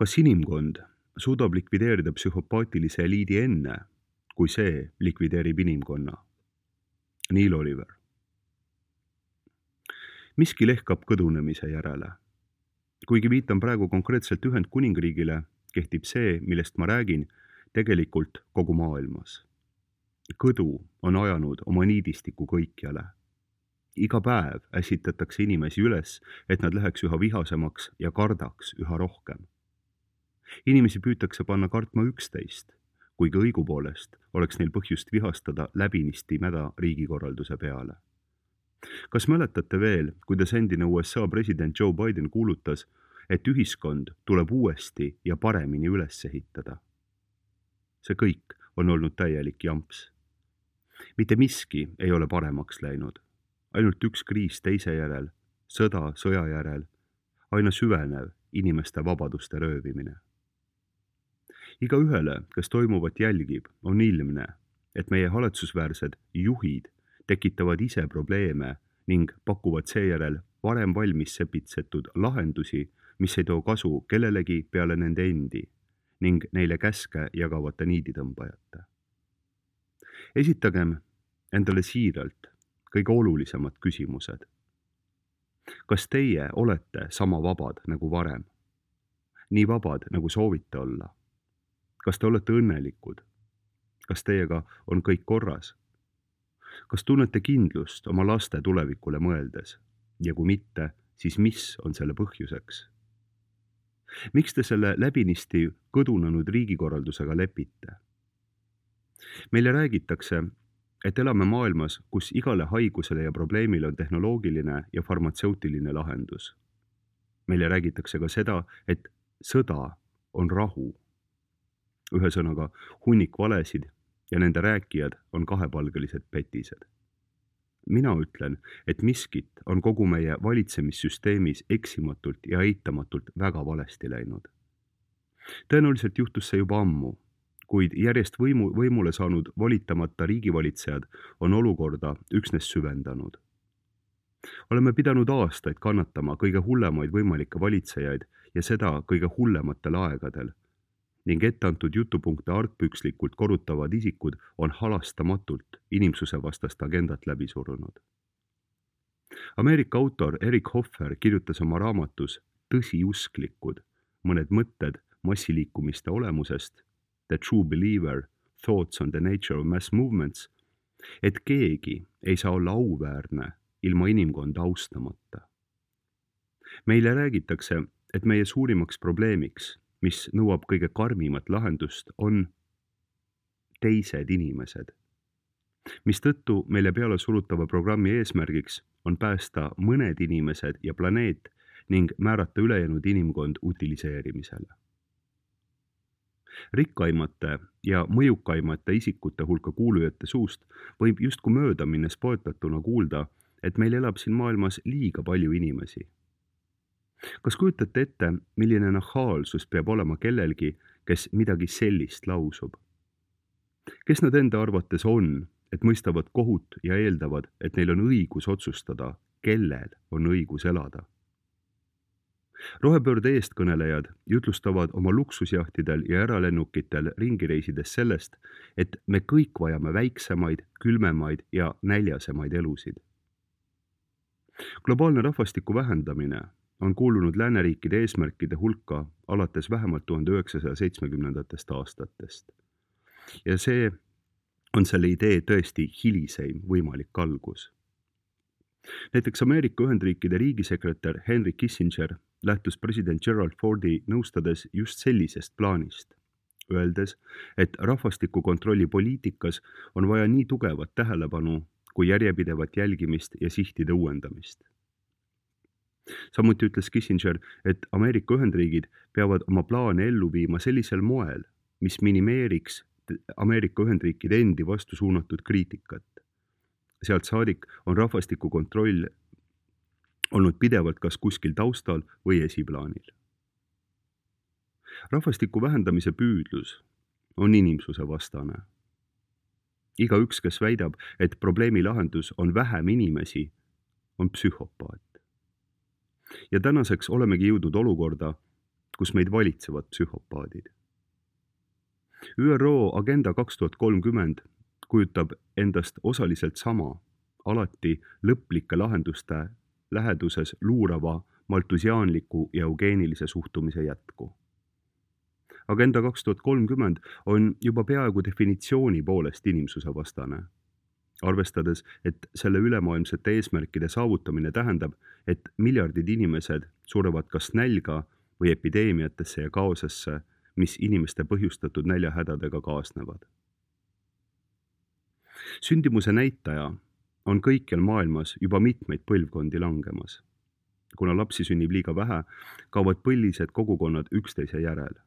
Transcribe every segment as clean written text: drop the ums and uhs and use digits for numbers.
Kas inimkond suudab likvideerida psühhopaatilise eliidi enne, kui see likvideerib inimkonna? Neil Oliver. Miski lehkab kõdunemise järele. Kuigi viitan praegu konkreetselt Ühendkuningriigile, kehtib see, millest ma räägin, tegelikult kogu maailmas. Kõdu on ajanud oma niidistiku kõikjale. Iga päev ässitatakse inimesi üles, et nad läheks üha vihasemaks ja kardaks üha rohkem. Inimesi püütakse panna kartma üksteist, kuigi õigupoolest oleks neil põhjust vihastada läbinisti mäda riigikorralduse peale. Kas mäletate veel, kuidas endine USA president Joe Biden kuulutas, et ühiskond tuleb uuesti ja paremini üles ehitada? See kõik on olnud täielik jamps. Mitte miski ei ole paremaks läinud. Ainult üks kriis teise järel, sõda sõja järel, aina süvenev inimeste vabaduste röövimine. Igaühele, kes toimuvat jälgib, on ilmne, et meie haletsusväärsed juhid tekitavad ise probleeme ning pakuvad seejärel varem valmis sepitsetud lahendusi, mis ei too kasu kellelegi peale nende endi ning neile käske jagavate niiditõmbajate. Esitagem endale siiralt kõige olulisemad küsimused. Kas teie olete sama vabad nagu varem? Nii vabad, nagu soovite olla? Kas te olete õnnelikud? Kas teiega on kõik korras? Kas tunnete kindlust oma laste tulevikule mõeldes? Ja kui mitte, siis mis on selle põhjuseks? Miks te selle läbinisti kõdunenud riigikorraldusega lepite? Meile räägitakse, et elame maailmas, kus igale haigusele ja probleemile on tehnoloogiline ja farmatseutiline lahendus. Meile räägitakse ka seda, et sõda on rahu. Ühesõnaga, hunnik valesid ja nende rääkijad on kahepalgelised petised. Mina ütlen, et miskit on kogu meie valitsemissüsteemis eksimatult ja eitamatult väga valesti läinud. Tõenäoliselt juhtus see juba ammu, kuid järjest võimule saanud volitamata riigivalitsejad on olukorda üksnes süvendanud. Oleme pidanud aastaid kannatama kõige hullemaid võimalikke valitsejaid ja seda kõige hullematel aegadel, ning etteantud jutupunkte argpükslikult korrutavad isikud on halastamatult inimsuse vastast agendat läbi surunud. Ameerika autor Eric Hoffer kirjutas oma raamatus Tõsiusklikud, mõned mõtted massiliikumiste olemusest, The True Believer, Thoughts on the Nature of Mass Movements, et keegi ei saa olla auväärne ilma inimkonda austamata. Meile räägitakse, et meie suurimaks probleemiks, mis nõuab kõige karmimat lahendust, on teised inimesed. Mistõttu meile peale surutava programmi eesmärgiks on päästa mõned inimesed ja planeet ning määrata ülejäänud inimkond utiliseerimisele. Rikkaimate ja mõjukaimate isikute hulka kuulujate suust võib justkui mööda minnes poetatuna kuulda, et meil elab siin maailmas liiga palju inimesi. Kas kujutate ette, milline nahaalsus peab olema kellelgi, kes midagi sellist lausub? Kes nad enda arvates on, et mõistavad kohut ja eeldavad, et neil on õigus otsustada, kellel on õigus elada? Rohepöörde eestkõnelejad jutlustavad oma luksusjahtidel ja äralennukitel ringireisides sellest, et me kõik vajame väiksemaid, külmemaid ja näljasemaid elusid. Globaalne rahvastiku vähendamine on kuulunud lääneriikide eesmärkide hulka alates vähemalt 1970. aastatest. Ja see on selle idee tõesti hiliseim võimalik algus. Näiteks Ameerika Ühendriikide riigisekretär Henry Kissinger lähtus president Gerald Fordi nõustades just sellisest plaanist, öeldes, et rahvastikukontrolli poliitikas on vaja nii tugevat tähelepanu kui järjepidevat jälgimist ja sihtide uuendamist. Samuti ütles Kissinger, et Ameerika Ühendriigid peavad oma plaane ellu viima sellisel moel, mis minimeeriks Ameerika Ühendriikide endi vastu suunatud kriitikat. Sealt saadik on rahvastikukontroll olnud pidevalt kas kuskil taustal või esiplaanil. Rahvastiku vähendamise püüdlus on inimsuse vastane. Igaüks, kes väidab, et probleemi lahendus on vähem inimesi, on psühhopaat. Ja tänaseks olemegi jõudnud olukorda, kus meid valitsevad psühhopaadid. ÜRO Agenda 2030 kujutab endast osaliselt sama, alati lõplike lahenduste läheduses luurava maltusiaanliku ja eugeenilise suhtumise jätku. Agenda 2030 on juba peaaegu definitsiooni poolest inimsuse vastane, arvestades, et selle ülemaailmsete eesmärkide saavutamine tähendab, et miljardid inimesed surevad kas nälga või epideemiatesse ja kaosesse, mis inimeste põhjustatud näljahädadega kaasnevad. Sündimuse näitaja on kõikjal maailmas juba mitmeid põlvkondi langemas. Kuna lapsi sünnib liiga vähe, kaovad põlised kogukonnad üksteise järel.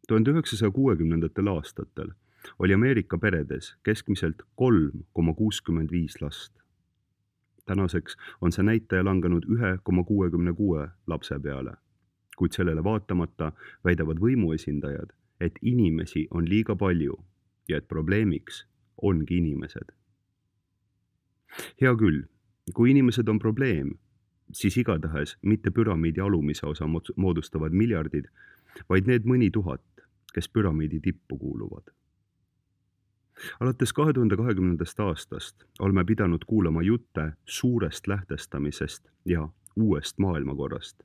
1960. aastatel oli Ameerika peredes keskmiselt 3,65 last. Tänaseks on see näitaja langenud 1,66 lapse peale, kuid sellele vaatamata väidavad võimuesindajad, et inimesi on liiga palju ja et probleemiks ongi inimesed. Hea küll, kui inimesed on probleem, siis igatahes mitte püramiidi alumise osa moodustavad miljardid, vaid need mõni tuhat, kes püramiidi tippu kuuluvad. Alates 2020. aastast oleme pidanud kuulama jutte suurest lähtestamisest ja uuest maailmakorrast,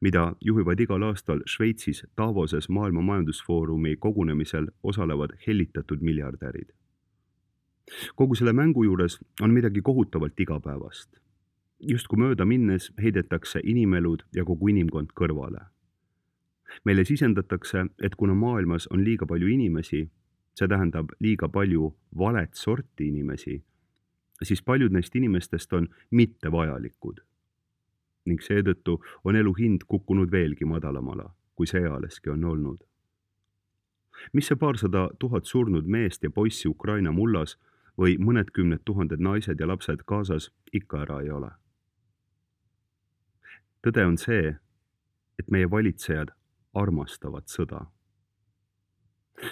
mida juhivad igal aastal Šveitsis Davoses Maailma Majandusfoorumi kogunemisel osalevad hellitatud miljardärid. Kogu selle mängu juures on midagi kohutavalt igapäevast. Justkui mööda minnes heidetakse inimelud ja kogu inimkond kõrvale. Meile sisendatakse, et kuna maailmas on liiga palju inimesi, see tähendab liiga palju valet sorti inimesi, siis paljud neist inimestest on mittevajalikud. Ning seetõttu on elu hind kukkunud veelgi madalamala, kui see ealeski on olnud. Mis see 200 000 surnud meest ja poissi Ukraina mullas või mõned kümned tuhanded naised ja lapsed Gazas ikka ära ei ole? Tõde on see, et meie valitsejad armastavad sõda.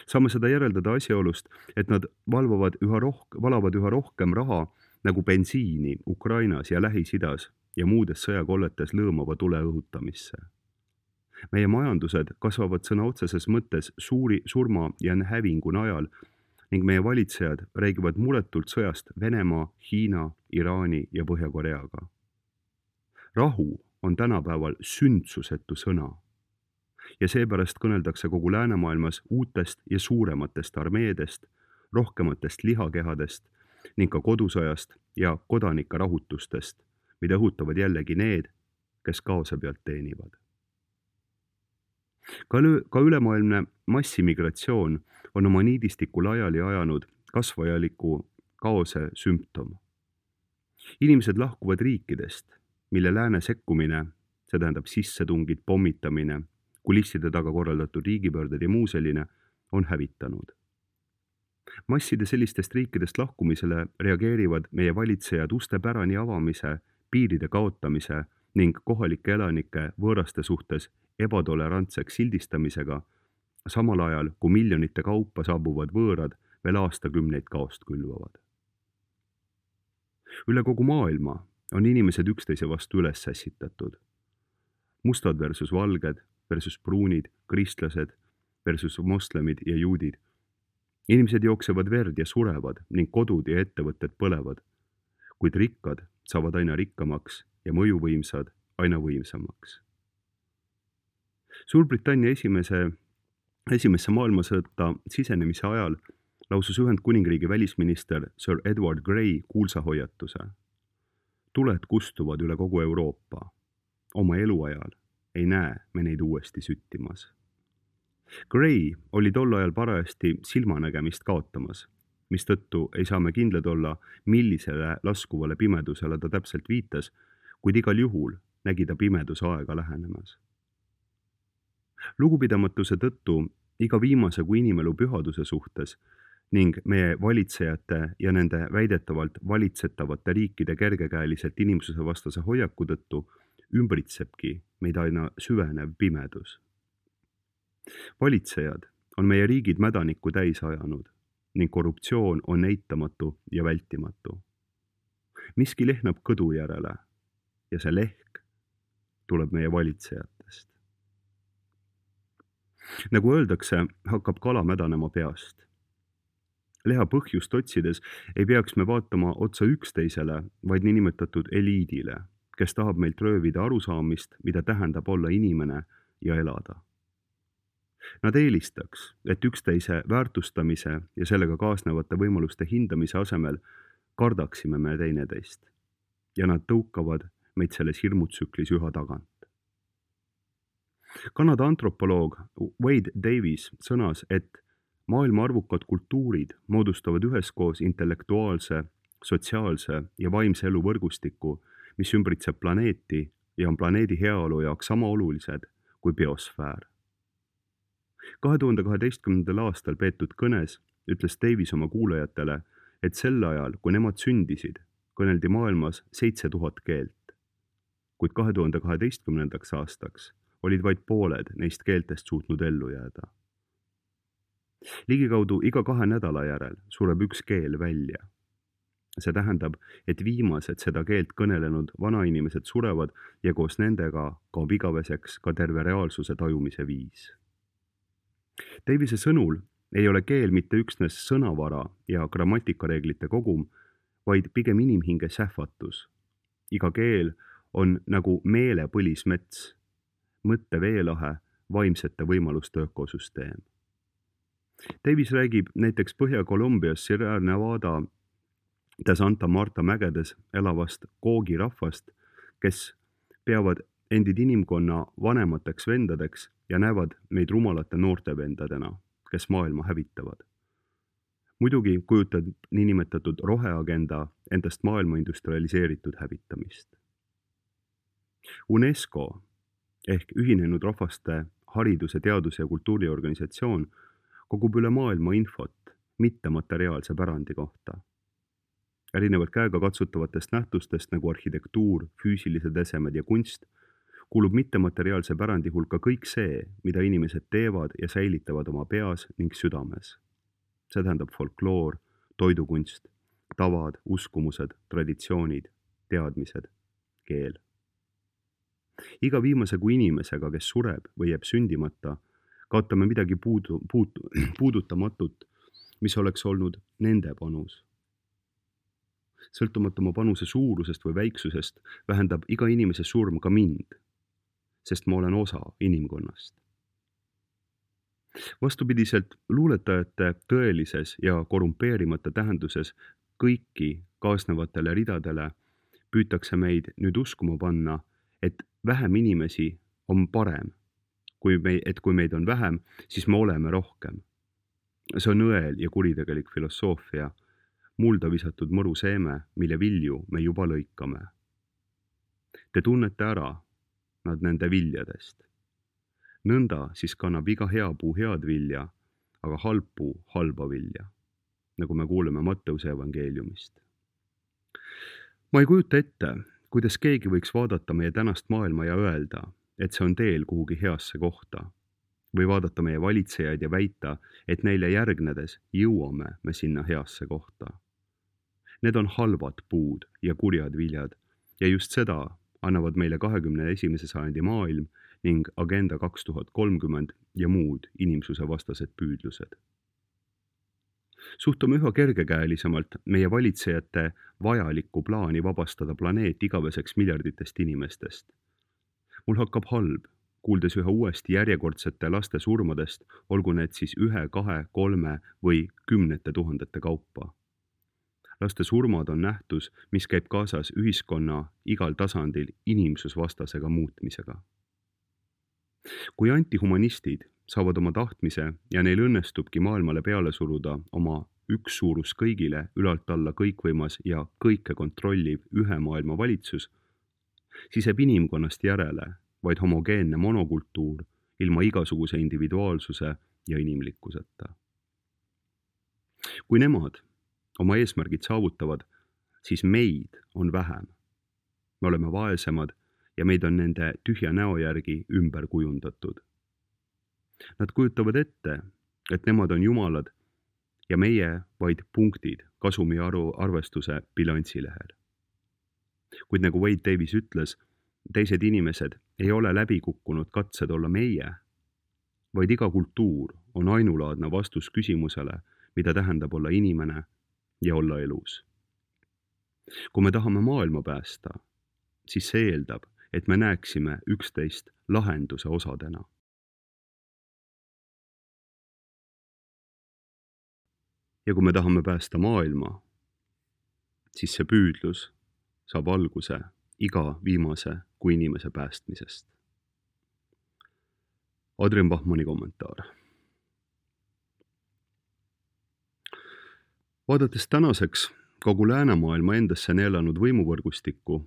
Saame seda järeldada asjaolust, et nad valavad üha rohkem raha nagu bensiini Ukrainas ja Lähis-Idas ja muudes sõjakolletes lõõmava tule õhutamisse. Meie majandused kasvavad sõna otseses mõttes suuri surma ja hävingu najal ning meie valitsejad räägivad muretult sõjast Venemaa, Hiina, Iraani ja Põhja-Koreaga. Rahu on tänapäeval sündsusetu sõna ja seepärast kõneldakse kogu läänemaailmas uutest ja suurematest armeedest, rohkematest lihakehadest ning ka kodusõjast ja kodanike rahutustest, mida õhutavad jällegi need, kes kaose pealt teenivad. Ka ülemaailmne massimigratsioon on oma niidistikku laiali ajanud kasvajaliku kaose sümptom. Inimesed lahkuvad riikidest, mille lääne sekkumine, see tähendab sissetungid, pommitamine, kulisside taga korraldatud riigipöörded ja muu selline, on hävitanud. Masside sellistest riikidest lahkumisele reageerivad meie valitsejad uste pärani avamise, piiride kaotamise ning kohalike elanike võõraste suhtes ebatolerantseks sildistamisega, samal ajal kui miljonite kaupa saabuvad võõrad veel aastakümneid kaost külvavad. Üle kogu maailma on inimesed üksteise vastu üles sässitatud. Mustad versus valged, versus pruunid, kristlased versus moslemid ja juudid. Inimesed jooksevad verd ja surevad ning kodud ja ettevõtted põlevad, kuid rikkad saavad aina rikkamaks ja mõjuvõimsad aina võimsamaks. Suurbritannia esimesse maailmasõtta sisenemise ajal lausus Ühendkuningriigi välisminister Sir Edward Grey kuulsa hoiatuse. Tuled kustuvad üle kogu Euroopa. Oma eluajal ei näe me neid uuesti süttimas. Grey oli tol ajal parajasti silmanägemist kaotamas, mistõttu ei saa me kindlad olla, millisele laskuvale pimedusele ta täpselt viitas, kuid igal juhul nägi ta pimeduse aega lähenemas. Lugupidamatuse tõttu iga viimase kui inimelu pühaduse suhtes ning meie valitsejate ja nende väidetavalt valitsetavate riikide kergekäeliselt inimsuse vastase hoiaku tõttu ümbritsebki meid aina süvenev pimedus. Valitsejad on meie riigid mädanikku täis ajanud ning korruptsioon on eitamatu ja vältimatu. Miski lehnab kõdu järele ja see lehk tuleb meie valitsejatest. nagu öeldakse, hakkab kala mädanema peast. Leha põhjust otsides ei peaks me vaatama otsa üksteisele, vaid niinimetatud eliidile, kes tahab meilt röövida arusaamist, mida tähendab olla inimene ja elada. Nad eelistaks, et üksteise väärtustamise ja sellega kaasnevate võimaluste hindamise asemel kardaksime me teineteist ja nad tõukavad meid selles hirmutsüklis üha tagant. Kanada antropoloog Wade Davis sõnas, et maailma arvukad kultuurid moodustavad üheskoos intellektuaalse, sotsiaalse ja vaimse elu võrgustiku, mis ümbritseb planeeti ja on planeedi heaolu jaoks sama olulised kui biosfäär. 2012. aastal peetud kõnes ütles Davis oma kuulajatele, et sel ajal, kui nemad sündisid, kõneldi maailmas 7000 keelt, kuid 2012. aastaks olid vaid pooled neist keeltest suutnud ellu jääda. Ligikaudu iga 2 nädala järel sureb üks keel välja. See tähendab, et viimased seda keelt kõnelenud vanainimesed surevad ja koos nendega kaob igaveseks ka terve reaalsuse tajumise viis. Davise sõnul ei ole keel mitte üksnes sõnavara ja grammatikareeglite kogum, vaid pigem inimhinge sähvatus. Iga keel on nagu meele põlismets, mõtte veelahe, vaimsete võimaluste ökosüsteem. Davis räägib näiteks Põhja-Kolumbias Sierra Nevada de Santa Marta mägedes elavast Koogi rahvast, kes peavad endid inimkonna vanemateks vendadeks ja näevad meid rumalate noorte vendadena, kes maailma hävitavad. Muidugi kujutab niinimetatud roheagenda endast maailma industrialiseeritud hävitamist. UNESCO ehk Ühinenud Rahvaste hariduse, teaduse ja kultuuriorganisatsioon kogub üle maailma infot mittemateriaalse pärandi kohta. Erinevalt käega katsutavatest nähtustest nagu arhitektuur, füüsilised esemed ja kunst, kuulub mittemateriaalse pärandi hulka kõik see, mida inimesed teevad ja säilitavad oma peas ning südames. See tähendab folkloor, toidukunst, tavad, uskumused, traditsioonid, teadmised, keel. Iga viimase kui inimesega, kes sureb või jääb sündimata, kaotame midagi puudutamatut, mis oleks olnud nende panus. Sõltumata oma panuse suurusest või väiksusest vähendab iga inimese surm ka mind, sest ma olen osa inimkonnast. Vastupidiselt luuletajate tõelises ja korrumpeerimata tähenduses kõiki kaasnevatele ridadele püütakse meid nüüd uskuma panna, et vähem inimesi on parem. Kui meid on vähem, siis me oleme rohkem. See on õel ja kuritegelik filosoofia, mulda visatud mõru seeme, mille vilju me juba lõikame. Te tunnete ära nad nende viljadest. Nõnda siis kannab iga hea puu head vilja, aga halb puu halba vilja, nagu me kuuleme Matteuse evangeeliumist. Ma ei kujuta ette, kuidas keegi võiks vaadata meie tänast maailma ja öelda, et see on teel kuhugi heasse kohta, või vaadata meie valitsejaid ja väita, et neile järgnedes jõuame me sinna heasse kohta. Need on halvad puud ja kurjad viljad ja just seda annavad meile 21. sajandi maailm ning Agenda 2030 ja muud inimsuse vastased püüdlused. Suhtume üha kergekäelisemalt meie valitsejate vajalikku plaani vabastada planeet igaveseks miljarditest inimestest. Mul hakkab halb, kuuldes üha uuesti järjekordsete laste surmadest, olgu need siis 1, 2, 3 või 10 000 kaupa. Laste surmad on nähtus, mis käib kaasas ühiskonna igal tasandil inimsusvastasega muutmisega. Kui antihumanistid saavad oma tahtmise ja neil õnnestubki maailmale peale suruda oma üks suurus kõigile, ülalt alla kõikvõimas ja kõike kontrolliv ühe maailma valitsus, siis jääb inimkonnast järele vaid homogeenne monokultuur ilma igasuguse individuaalsuse ja inimlikkuseta. Kui nemad oma eesmärgid saavutavad, siis meid on vähem. Me oleme vaesemad ja meid on nende tühja näo järgi ümber kujundatud. Nad kujutavad ette, et nemad on jumalad ja meie vaid punktid kasumi arvestuse bilansilehel. Kuid nagu Wade Davis ütles, teised inimesed ei ole läbi kukkunud katsed olla meie, vaid iga kultuur on ainulaadne vastus küsimusele, mida tähendab olla inimene ja olla elus. Kui me tahame maailma päästa, siis see eeldab, et me näeksime üksteist lahenduse osadena. Ja kui me tahame päästa maailma, siis see püüdlus saab alguse iga viimase kui inimese päästmisest. Adrian Bachmanni kommentaar. Vaadates tänaseks kogu läänemaailma endasse neelanud võimuvõrgustikku,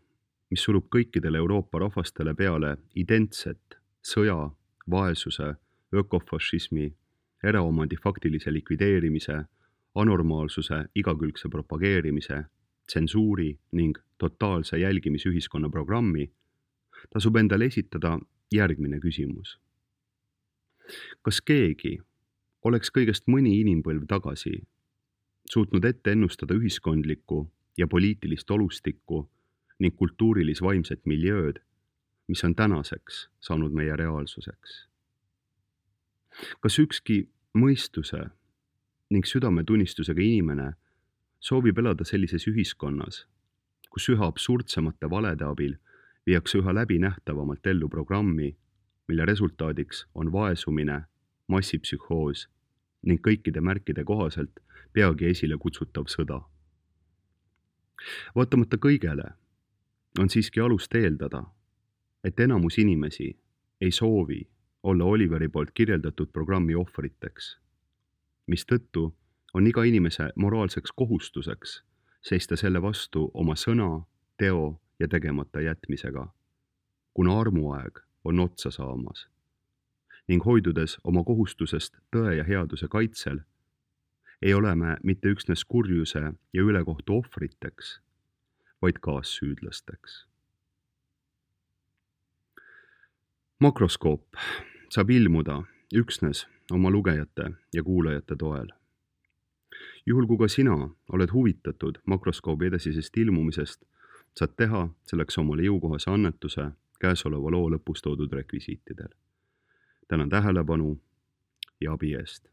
mis surub kõikidele Euroopa rahvastele peale identset sõja, vaesuse, ökofašismi, eraomandi faktilise likvideerimise, anormaalsuse igakülgse propageerimise, tsensuuri ning totaalse jälgimisühiskonna programmi, tasub endale esitada järgmine küsimus. Kas keegi oleks kõigest mõni inimpõlv tagasi suutnud ette ennustada ühiskondlikku ja poliitilist olustikku ning kultuurilis-vaimset miljööd, mis on tänaseks saanud meie reaalsuseks? Kas ükski mõistuse ning südametunnistusega inimene soovib elada sellises ühiskonnas, kus üha absurdsemate valede abil viiakse üha läbinähtavamalt ellu programmi, mille resultaadiks on vaesumine, massipsühhoos ning kõikide märkide kohaselt peagi esile kutsutav sõda? Vaatamata kõigele on siiski alust eeldada, et enamus inimesi ei soovi olla Oliveri poolt kirjeldatud programmi ohvriteks, mistõttu on iga inimese moraalseks kohustuseks seista selle vastu oma sõna, teo ja tegemata jätmisega, kuna armuaeg on otsa saamas, ning hoidudes oma kohustusest tõe ja headuse kaitsel, ei ole me mitte üksnes kurjuse ja ülekohtu ohvriteks, vaid kaassüüdlasteks. Makroskoop saab ilmuda üksnes oma lugejate ja kuulajate toel. Juhul kui ka sina oled huvitatud makroskoobi edasisest ilmumisest, saad teha selleks omale jõukohase annetuse käesoleva loo lõpus toodud rekvisiitidel. Tänan tähelepanu ja abi eest.